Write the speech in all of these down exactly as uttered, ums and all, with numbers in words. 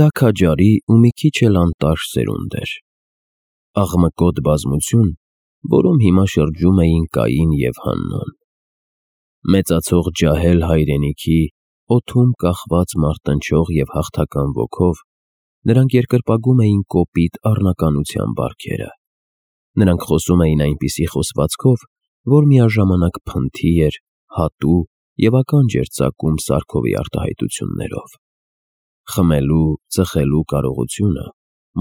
Դա քաջարի ու մի քիչ էլ անտաշ սերունդ էր, աղմկոտ բազմություն, որում հիմա շրջում էին Կային և Հաննոն։ Մեծացող ջահել հայրենիքի, օդում կախված մարտնչող և հաղթական ոգով նրանք երկրպագում էին կոպիտ առնականության բարքերը։ Նրանք խոսում էին այնպիսի խոսվածքով, որ միաժամանակ փնթի էր, հատու և ականջ էր ծակում Սարքովի արտահայտություններով։ Խմելու, ծխելու կարողությունը,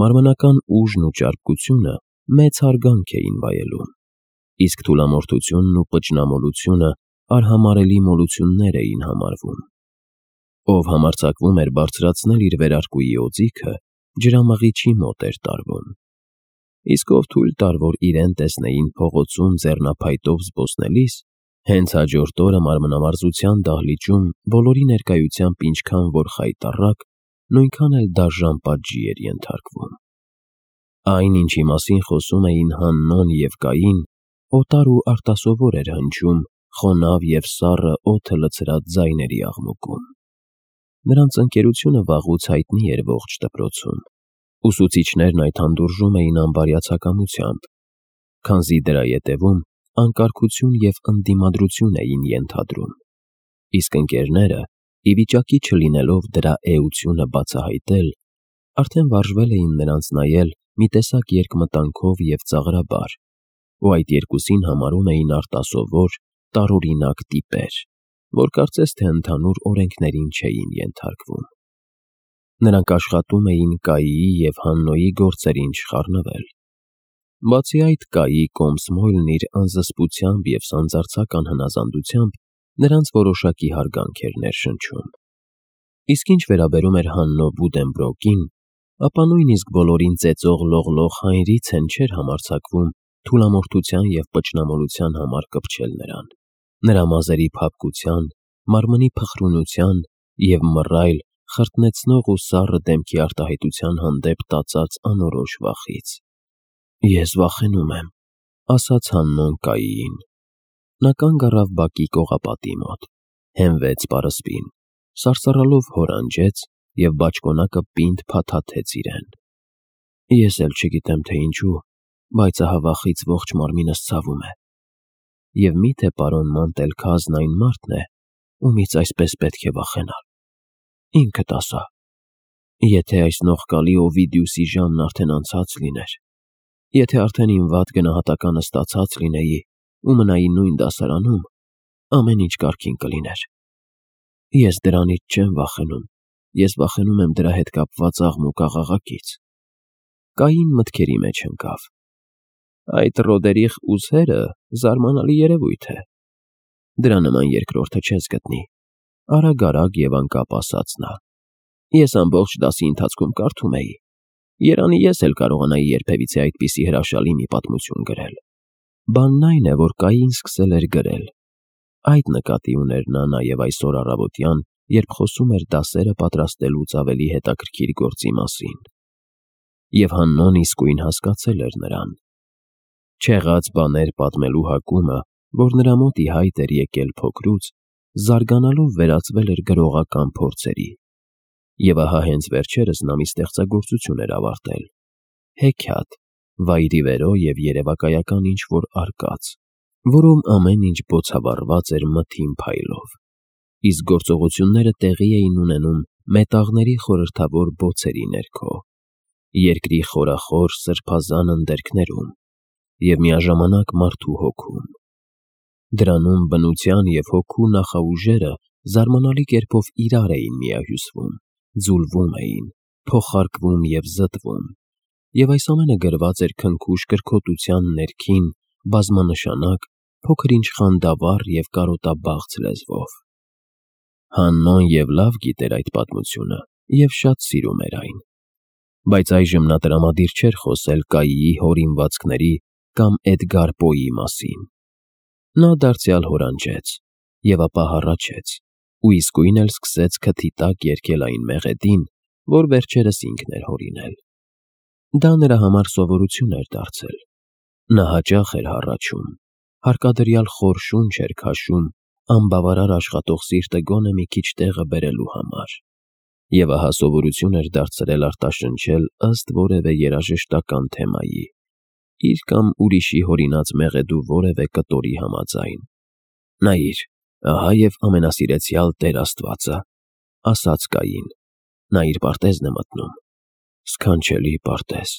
մարմնական ուժն ու ճարպկությունը մեծ հարգանք էին վայելում, իսկ թուլամորթությունն ու պճնամոլությունը արհամարհելի մոլություններ էին համարվում։ Ով համարձակվում էր բարձրացնել իր վերարկուի օձիքը, ջրամղիչի մոտ էր տարվում, իսկ ով թույլ տար, որ իրեն տեսնեին փողոցում ձեռնափայտով զբոսնելիս, հենց հաջորդ օրը մարմնամարզության դահլիճում բոլորի ներկայությամբ ինչքան որ խայտառակ, նույնքան էլ դաժան պատժի էր ենթարկվում։ Այն, ինչի մասին խոսում էին Հաննոն և Կային, օտար ու արտասովոր էր հնչում խոնավ և սառը օդը լցրած ձայների աղմուկում։ Նրանց ընկերությունը վաղուց հայտնի էր ողջ դպրոցում։ Ուսուցիչներն այդ հանդուրժում էին անբարյացակամությամբ, քանզի դրա ետևում անկարգություն և ընդդիմադրություն էին ենթադրում, իսկ ընկերները, ի վիճակի չլինելով դրա էությունը բացահայտել, արդեն վարժվել էին նրանց նայել մի տեսակ երկմտանքով և ծաղրաբար, ու այդ երկուսին համարում էին արտասովոր, տարօրինակ տիպեր, որ կարծես թե ընդհանուր օրենքներին չէին ենթարկվում։ Նրանք աշխատում էին Կայիի և Հաննոյի գործերին չխառնվել։ Բացի այդ, Կայի կոմս-մոյլն իր անզսպությամբ և սանձարձակ անհնազանդությամբ նրանց որոշակի հարգանք էր ներշնչում։ Իսկ ինչ վերաբերում էր Հաննո Բուդենբրոկին, ապա նույնիսկ բոլորին ծեծող լողլող Հայնրիցեն չէր համարձակվում թուլամորթության և պճնամոլության համար կպչել նրան, նրա մազերի փափկության, մարմնի փխրունության և մռայլ, խրտնեցնող ու սառը դեմքի արտահայտության հանդեպ տածած անորոշ վախից։ «Ես վախենում եմ», ասաց Հաննոն Կայիին։ Նա կանգ առավ բակի կողապատի մոտ, հենվեց պարսպին, սարսռալով հոր անջեց և բաճկոնակը պինդ փաթաթեց իրեն։ «Ես էլ չգիտեմ, թե ինչու, բայց ահա վախից ողջ մարմինս ցավում է։ Եվ մի՞թե պարոն Մանտելքազն այն մարդն է, ումից այսպես պետք է վախենալ։ Ինքդ ասա, եթե այս նողկալի Օվիդիուսի ժամն արդեն անցած լիներ, եթե արդեն իմ վատ գնահատականը ստացած լինեի ու մնայի նույն դասարանում, ամեն ինչ կարգին կլիներ։ Ես դրանից չեմ վախենում, ես վախենում եմ դրա հետ կապված աղմուկ-աղաղակից»։ Կային մտքերի մեջ ընկավ. «Այդ Ռոդերիխ Ուզհերը զարմանալի երևույթ է։ Դրա նման երկրորդը չես գտնի», արագ-արագ և անկապ ասաց նա։ «Ես ամբողջ դասի ընթացքում կարդում էի։ Երանի ես էլ կարողանայի երբևիցե այդպիսի հրաշալի մի պատմություն գրել»։ Բանն այն է, որ Կային սկսել էր գրել։ Այդ նկատի ուներ նա նաև այսօր առավոտյան, երբ խոսում էր դասերը պատրաստելուց ավելի հետաքրքիր գործի մասին։ Եվ Հաննոն իսկույն հասկացել էր նրան։ Չեղած բաներ պատմելու հակումը, որ նրա մոտ ի հայտ էր եկել փոքրուց, զարգանալով վերածվել էր գրողական փորձերի։ Եվ ահա հենց վերջերս նա մի ստեղծագործություն էր ավարտել՝ հեքիաթ, վայրիվերո և երևակայական ինչ-որ արկած, որում ամեն ինչ բոցավառված էր մթին փայլով, իսկ գործողությունները տեղի էին ունենում մետաղների խորհրդավոր բոցերի ներքո, երկրի խորախոր սրբազան ընդերքներում և միաժամանակ մարդու հոգում։ Դրանում բնության և հոգու նախաուժերը զարմանալի կերպով իրար էին միահյուսվում, ձուլվում էին, փոխարկվում և զտվում, և այս ամենը գրված էր քնքուշ կրքոտության ներքին, բազմանշանակ, փոքր-ինչ խանդավառ և կարոտաբաղձ լեզվով։ Հաննոն և լավ գիտեր այդ պատմությունը և շատ սիրում էր այն։ Բայց այժմ նա տրամադիր չէր խոսել Կայիի հորինվածքների կամ Էդգար Պոյի մասին։ Նա դարձյալ հորանջեց և ապա հառաչեց ու իսկույն էլ սկսեց քթի տակ երգել այն մեղեդին, որ վերջերս ինքն էր հորինել։ Դա նրա համար սովորություն էր դարձել։ Նա հաճախ էր հառաչում, հարկադրյալ խոր շունչ էր քաշում անբավարար աշխատող սիրտը գոնե մի քիչ տեղը բերելու համար։ Եվ ահա սովորություն էր դարձրել արտաշնչել ըստ որևէ երաժշտական թեմայի, իր կամ ուրիշի հորինած մեղեդու որևէ կտորի համաձայն։ «Նայիր, ահա և ամենասիրեցյալ Տեր Աստվածը», ասաց Կային։ «Նա իր պարտեզն է մտնում»։ «Սքանչելի պարտեզ»,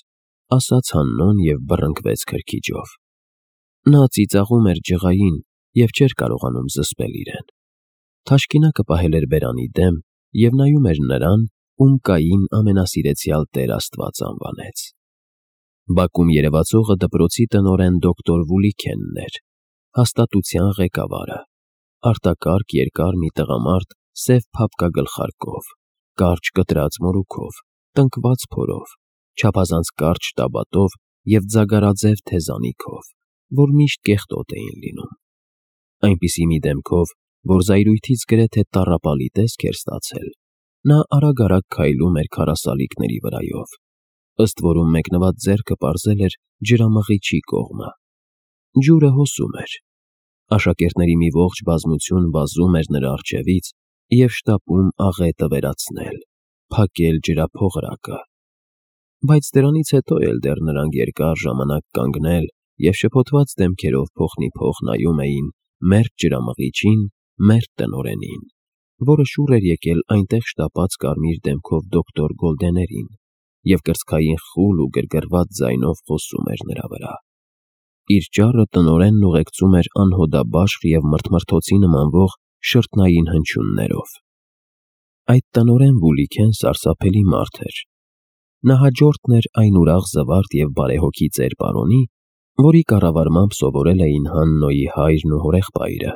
ասաց Հաննոն և բռնկվեց քրքիջով։ Նա ծիծաղում էր ջղային և չէր կարողանում զսպել իրեն։ Թաշկինակը պահել էր բերանի դեմ և նայում էր նրան, ում Կային ամենասիրեցյալ Տեր Աստված անվանեց։ Բակում երևացողը դպրոցի տնօրեն դոկտոր Վուլիքենն էր, հաստատության ղեկավարը, արտակարգ երկար մի տղամարդ սև փափկագլխարկով, կարճ կտրած մորուքով, տնկված փորով, չափազանց կարճ շտաբատով և ձագարաձև թեզանիքով, որ միշտ կեղտոտ էին լինում։ Այնպիսի մի դեմքով, որ զայրույթից գրեթե տառապալի տեսք էր ստացել, նա արագ-արագ քայլում էր քարասալիկների վրայով, ըստ որում մեկնված ձեռքը պարզել էր ջրամղիչի կողմը։ Ջուրը հոսում էր։ Աշակերտների մի ողջ բազմություն վազում էր նրա առջևից և շտապում աղետը վերացնել, փակել ջրափողրակը։ Բայց դրանից հետո էլ դեռ նրանք երկար ժամանակ կանգնել և շփոթված դեմքերով փոխնիփոխ նայում էին մերկ ջրամղիչին, մերկ տնօրենին, որը շուռ էր եկել այնտեղ շտապած կարմիր դեմքով դոկտոր Գոլդեներին և կրծքային խուլ ու գրգռված ձայնով խոսում էր նրա վրա։ Իր ճառը տնօրենն ուղեկցում էր անհոդաբաշխ և մրթմրթոցի նմանվող շրթնային հնչյուններով։ Այդ տնօրեն Վուլիքեն սարսափելի մարդ էր։ Նա հաջորդն էր այն ուրախ զվարթ և բարեհոգի ծեր պարոնի, որի կառավարմամբ սովորել էին Հաննոյի հայրն ու հորեղբայրը,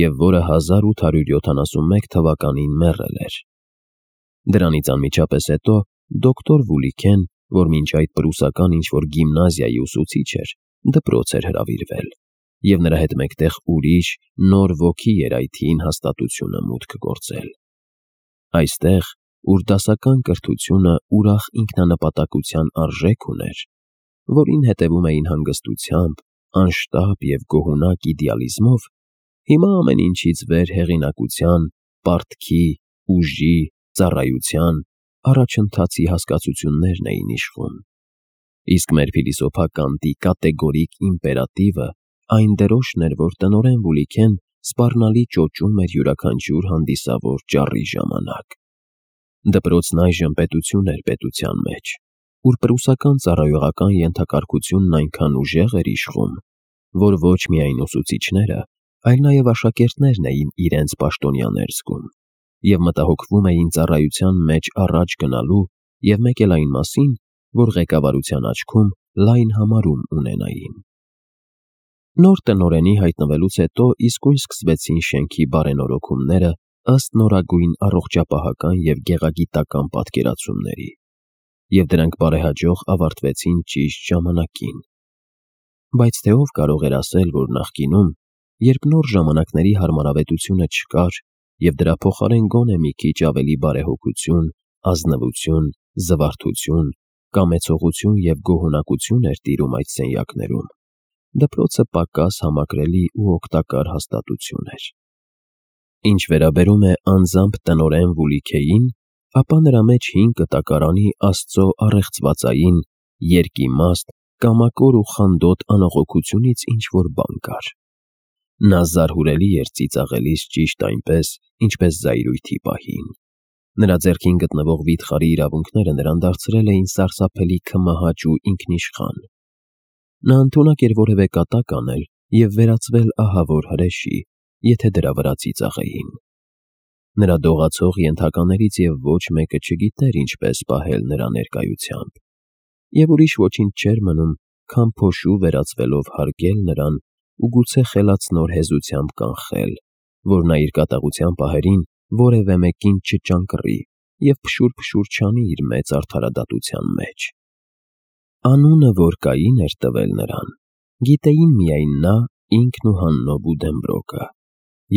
և որը հազար ութ հարյուր յոթանասունմեկ թվականին մեռել էր։ Դրանից անմիջապես հետո դոկտոր Վուլիքեն, որ մինչ այդ պրուսական ինչ-որ գիմնազիայի ուսուցիչ էր, դպրոց էր հրավիրվել, և նրա հետ մեկտեղ ուրիշ, նոր ոգի էր այդ հին հաստատությունը մուտք գործել։ Այստեղ, ուր դասական կրթությունը ուրախ ինքնանպատակության արժեք ուներ, որին հետևում էին հանգստությամբ, անշտապ և գոհունակ իդեալիզմով, հիմա ամեն ինչից վեր հեղինակության, պարտքի, ուժի, ծառայության, առաջընթացի հասկացություններն էին իշխում։ Իսկ մեր փիլիսոփա կատեգորիկ իմպերատիվը այն դրոշն էր, որ տնօրեն Վուլիքեն սպառնալի ճոճում էր յուրաքանչյուր հանդիսավոր ճառի ժամանակ։ Դպրոցն այժմ պետություն էր պետության մեջ, ուր պրուսական ծառայողական ենթակարգությունն այնքան ուժեղ էր իշխում, որ ոչ միայն ուսուցիչները, այլ նաև աշակերտներն էին իրենց պաշտոնյաներ զգում և մտահոգվում էին ծառայության մեջ առաջ գնալու և մեկ էլ այն մասին, որ ղեկավարության աչքում լայն համարում ունենային։ Նոր տնօրենի հայտնվելուց հետո իսկույն սկսվեցին շենքի բարենորոգումները ըստ նորագույն առողջապահական և գեղագիտական պատկերացումների, և դրանք բարեհաջող ավարտվեցին ճիշտ ժամանակին։ Բայց թե ով կարող էր ասել, որ նախկինում, երբ նոր ժամանակների հարմարավետությունը չկար, և դրա փոխարեն գոնե մի քիչ ավելի բարեհոգություն, ազնվություն, զվարթություն, կամեցողություն և գոհունակություն էր տիրում այդ սենյակներում, դպրոցը պակաս համակրելի ու օգտակար հաստատություն էր։ Ինչ վերաբերում է անձամբ տնօրեն Վուլիքեին, ապա նրա մեջ հին կտակարանի Աստծո առեղծվածային, երկիմաստ, կամակոր ու խանդոտ անողոքությունից ինչ-որ բան կար։ Նա զարհուրելի էր ծիծաղելիս ճիշտ այնպես, ինչպես զայրույթի պահին։ Նրա ձեռքին գտնվող վիթխարի իրավունքները նրան դարձրել էին սարսափելի քմահաճ ու ինքնիշխան։ Նա ընդունակ էր որևէ կատակ անել և վերածվել ահավոր հրեշի, եթե դրա վրա ծիծաղեին։ Նրա դողացող ենթականերից և ոչ մեկը չգիտեր ինչպես պահել նրա ներկայությամբ, և ուրիշ ոչինչ չէր մնում, քան փոշու վերածվելով հարգել նրան ու գուցե խելացնոր հեզությամբ կանխել, որ նա իր կատաղության պահերին որևէ մեկին չճանկռի և փշուր-փշուր չանի իր մեծ արդարադատության մեջ։ Անունը, որ Կային էր տվել նրան, գիտեին միայն նա, ինքն ու Հաննո Բուդենբրոկը,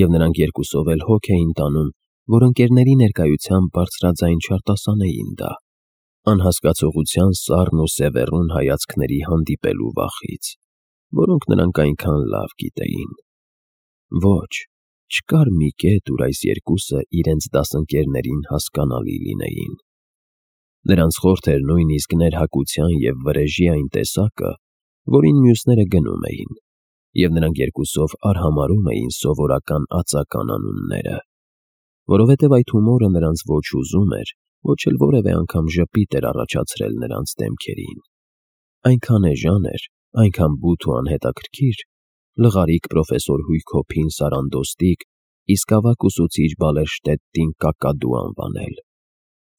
և նրանք երկուսով էլ հոգ էին տանում, որ ընկերների ներկայությամբ բարձրաձայն չարտասանեին դա, անհասկացողության սառն ու սևեռուն հայացքների հանդիպելու վախից, որոնք նրանք այնքան լավ գիտեին։ Ոչ, Չկար մի կետ, ուր այս երկուսը իրենց դասընկերներին հասկանալի լինեին։ Նրանց խորթ էր նույնիսկ ներհակության և վրեժի այն տեսակը, որին մյուսները գնում էին, և նրանք երկուսով արհամարհում էին սովորական ածական անունները, որովհետև այդ հումորը նրանց ոչ ուզում էր, ոչ էլ որևէ անգամ ժպիտ էր առաջացրել նրանց դեմքերին։ Այնքան էժան էր, այնքան բութ ու անհետաքրքիր, լղարիկ պրոֆեսոր Հույքոփին Սարանդոստիկ իսկ ավագ ուսուցիչ Բալերշտետտին Կակադու անվանել։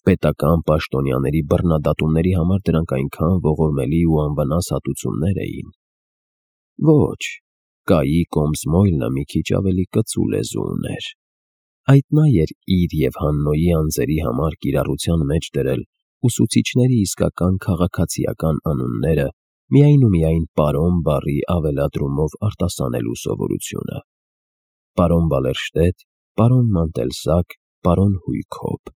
Պետական պաշտոնյաների բռնադատումների համար դրանք այնքան ողորմելի ու անվնաս հատուցումներ էին։ Ոչ, Կայի Կոմսմոյլը մի քիչ ավելի կծու լեզու ուներ։ Այդ նա էր իր և Հաննոյի անձերի համար կիրառության մեջ դրել ուսուցիչների իսկական քաղաքացիական անունները միայն ու միայն պարոն բառի ավելադրումով արտասանելու սովորությունը։ Պարոն Բալերշտետ, պարոն Մանտելսակ, պարոն Հույքոփ։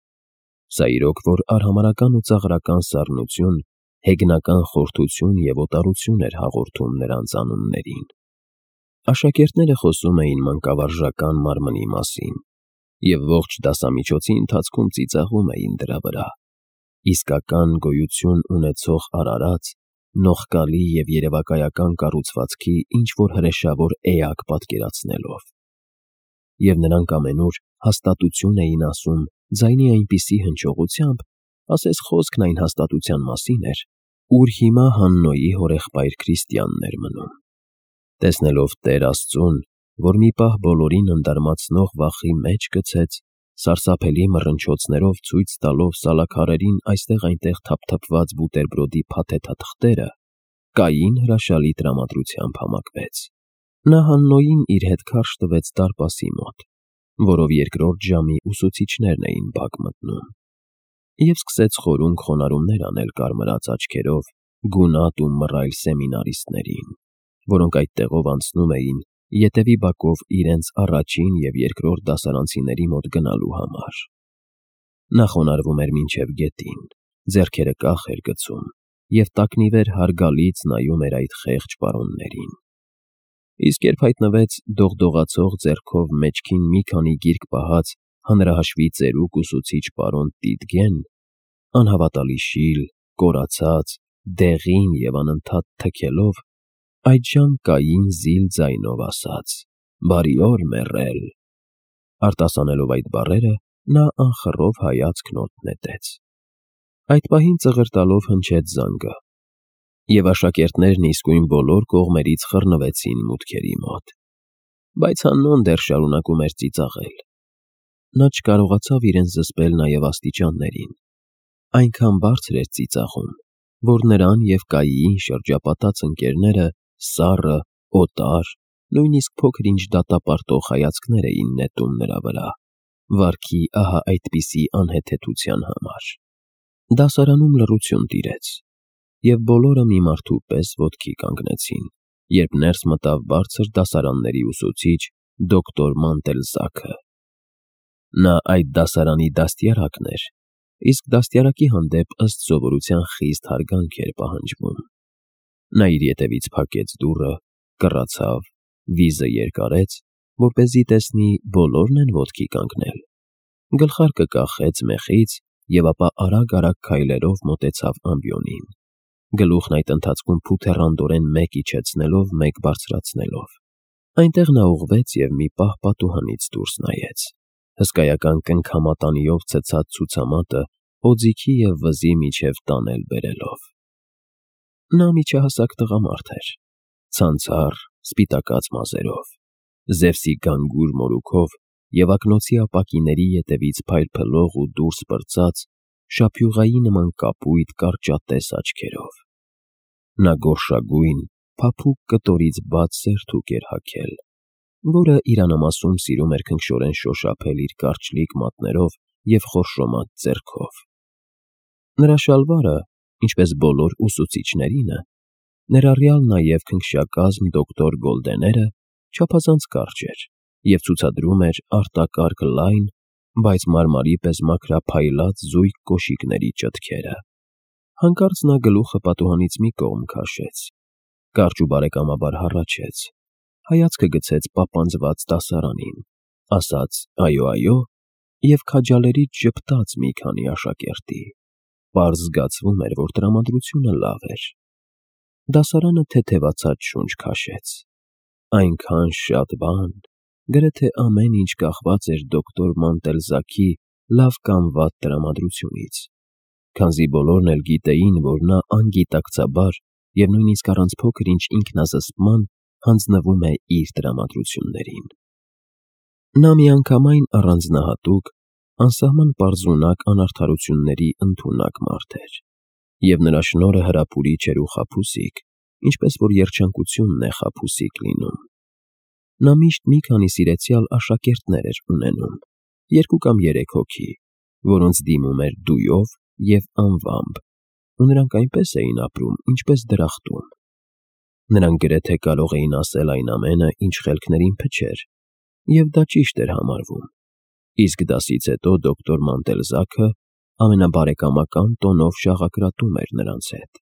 Սա իրոք որ արհամարհական ու ծաղրական սառնություն, հեգնական խորթություն և օտարություն էր հաղորդում նրանց անուններին։ Աշակերտները խոսում էին մանկավարժական մարմնի մասին և ողջ դասամիջոցի ընթացքում ծիծաղում էին դրա վրա, իսկական գոյություն ունեցող արարած, նողկալի և երևակայական կառուցվածքի ինչ-որ հրեշավոր էակ պատկերացնելով։ Եվ նրանք ամենուր հաստատություն էին ասում ձայնի այնպիսի հնչողությամբ, ասես խոսքն այն հաստատության մասին էր, ուր հիմա Հաննոյի հորեղբայր Քրիստիանն էր մնում։ Տեսնելով Տեր Աստծուն, որ մի պահ բոլորին ընդարմացնող վախի մեջ գցեց, սարսափելի մռնչոցներով ցույց տալով սալաքարերին այստեղ-այնտեղ թափթփված բուտերբրոդի փաթեթաթղթերը, Կային հրաշալի տրամադրությամբ համակվեց։ Նա Հաննոյին իր հետ քարշ տվեց դարպասի մոտ, որով երկրորդ ժամի ուսուցիչներն էին բակ մտնում, և սկսեց խորունկ խոնարհումներ անել կարմրած աչքերով գունատ ու մռայլ սեմինարիստներին, որոնք այդ տեղով անցնում էին ետևի բակով իրենց առաջին և երկրորդ դասարանցիների մոտ գնալու համար։ Նա խոնարհվում էր մինչև գետին, ձեռքերը կախ էր գցում և տակնիվեր հարգալից նայում էր այդ խեղճ պարոններին։ Իսկ երբ հայտնվեց դողդողացող ձեռքով մեջքին մի քանի գիրք պահած հանրահաշվի ծերուկ ուսուցիչ պարոն Տիտգեն, անհավատալի շիլ, կորացած, դեղին և անընդհատ թքելով, այդժամ Կային զիլ ձայնով ասաց. «Բարի օր, մեռել»։ Արտասանելով այդ բառերը, նա անխռով հայացքն օդ նետեց։ Այդ պահին ծղր տալով հնչեց զանգը, և աշակերտներն իսկույն բոլոր կողմերից խռնվեցին մուտքերի մոտ։ Բայց Հաննոն դեռ շարունակում էր ծիծաղել։ Նա չկարողացավ իրեն զսպել նաև աստիճաններին։ Այնքան բարձր էր ծիծաղում, որ նրան և Կայիին շրջապատած ընկերները սառը, օտար, նույնիսկ փոքր-ինչ դատապարտող հայացքներ էին նետում նրա վրա, վարքի ահա այդպիսի անհեթեթության համար։ Դասարանում լռություն տիրեց, և բոլորը մի մարդու պես ոտքի կանգնեցին, երբ ներս մտավ բարձր դասարանների ուսուցիչ դոկտոր Մանտելզաքը։ Նա այդ դասարանի դաստիարակն էր, իսկ դաստիարակի հանդեպ ըստ սովորության խիստ հարգանք էր պահանջվում։ Նա իր ետևից փակեց դուռը, կռացավ, վիզը երկարեց, որպեսզի տեսնի բոլորն են ոտքի կանգնել, գլխարկը կախեց մեխից և ապա արագ-արագ քայլերով մոտեցավ ամբիոնին, գլուխն այդ ընթացքում փութեռանդորեն մեկ իջեցնելով, մեկ բարձրացնելով։ Այնտեղ նա ուղղվեց և մի պահ պատուհանից դուրս նայեց, հսկայական կնքամատանիով ցցած ցուցամատը օձիքի և վզի միջև տանել բերելով։ Նա միջահասակ տղամարդ էր, ցանցառ, սպիտակած մազերով, Զևսի գանգուր մորուքով և ակնոցի ապակիների ետևից փայլփլող ու դուրս պրծած, շափյուղայի նման կապույտ կարճատես աչքերով։ Նա գորշագույն, փափուկ կտորից բաց սերթուկ էր հագել, որը իրանամասում սիրում էր քնքշորեն շոշափել իր կարճլիկ մատներով և խորշոմած ձեռքով։ Նրա շալվարը, ինչպես բոլոր ուսուցիչներինը, ներառյալ նաև քնքշակազմ դոկտոր Գոլդեները, չափազանց կարճ էր և ցուցադրում էր արտակարգ լայն, բայց մարմարի պես մաքրափայլած զույգ կոշիկների ճտքերը։ Հանկարծ նա գլուխը պատուհանից մի կողմ քաշեց, կարճ ու բարեկամաբար հառաչեց, հայացքը գցեց պապանձված դասարանին, ասաց այո, այո և քաջալերից ժպտաց մի քանի աշակերտի, պարզ զգացվում էր, որ տրամադրությունը լավ էր։ Դասարանը թեթևացած շունչ քաշեց, այնքան շատ բան, գրեթե ամեն ինչ կախված էր դոկտոր Մոնտելզաքի լավ կամ վատ տրամադրությունից, քանզի բոլորն էլ գիտեին, որ նա անգիտակցաբար և նույնիսկ առանց փոքր-ինչ ինքնազսպման հանձնվում է իր տրամադրություններին։ Նա միանգամայն առանձնահատուկ, անսահման պարզունակ անարդարությունների ընդունակ մարդ էր, և նրա շնորհը հրապուրիչ էր ու խաբուսիկ, ինչպես որ երջանկությունն է խաբուսիկ լինում։ Նա միշտ մի քանի սիրեցյալ աշակերտներ էր ունենում, երկու կամ երեք հոգի, որոնց դիմում էր դույով և անվամբ, ու նրանք այնպես էին ապրում, ինչպես դրախտում։ Նրանք գրեթե կարող էին ասել այն ամենը, ինչ խելքներին փչեր, և դա ճիշտ էր համարվում, իսկ դասից հետո դոկտոր Մոնտելզաքը ամենաբարեկամական տոնով շաղակրատում էր նրանց հետ։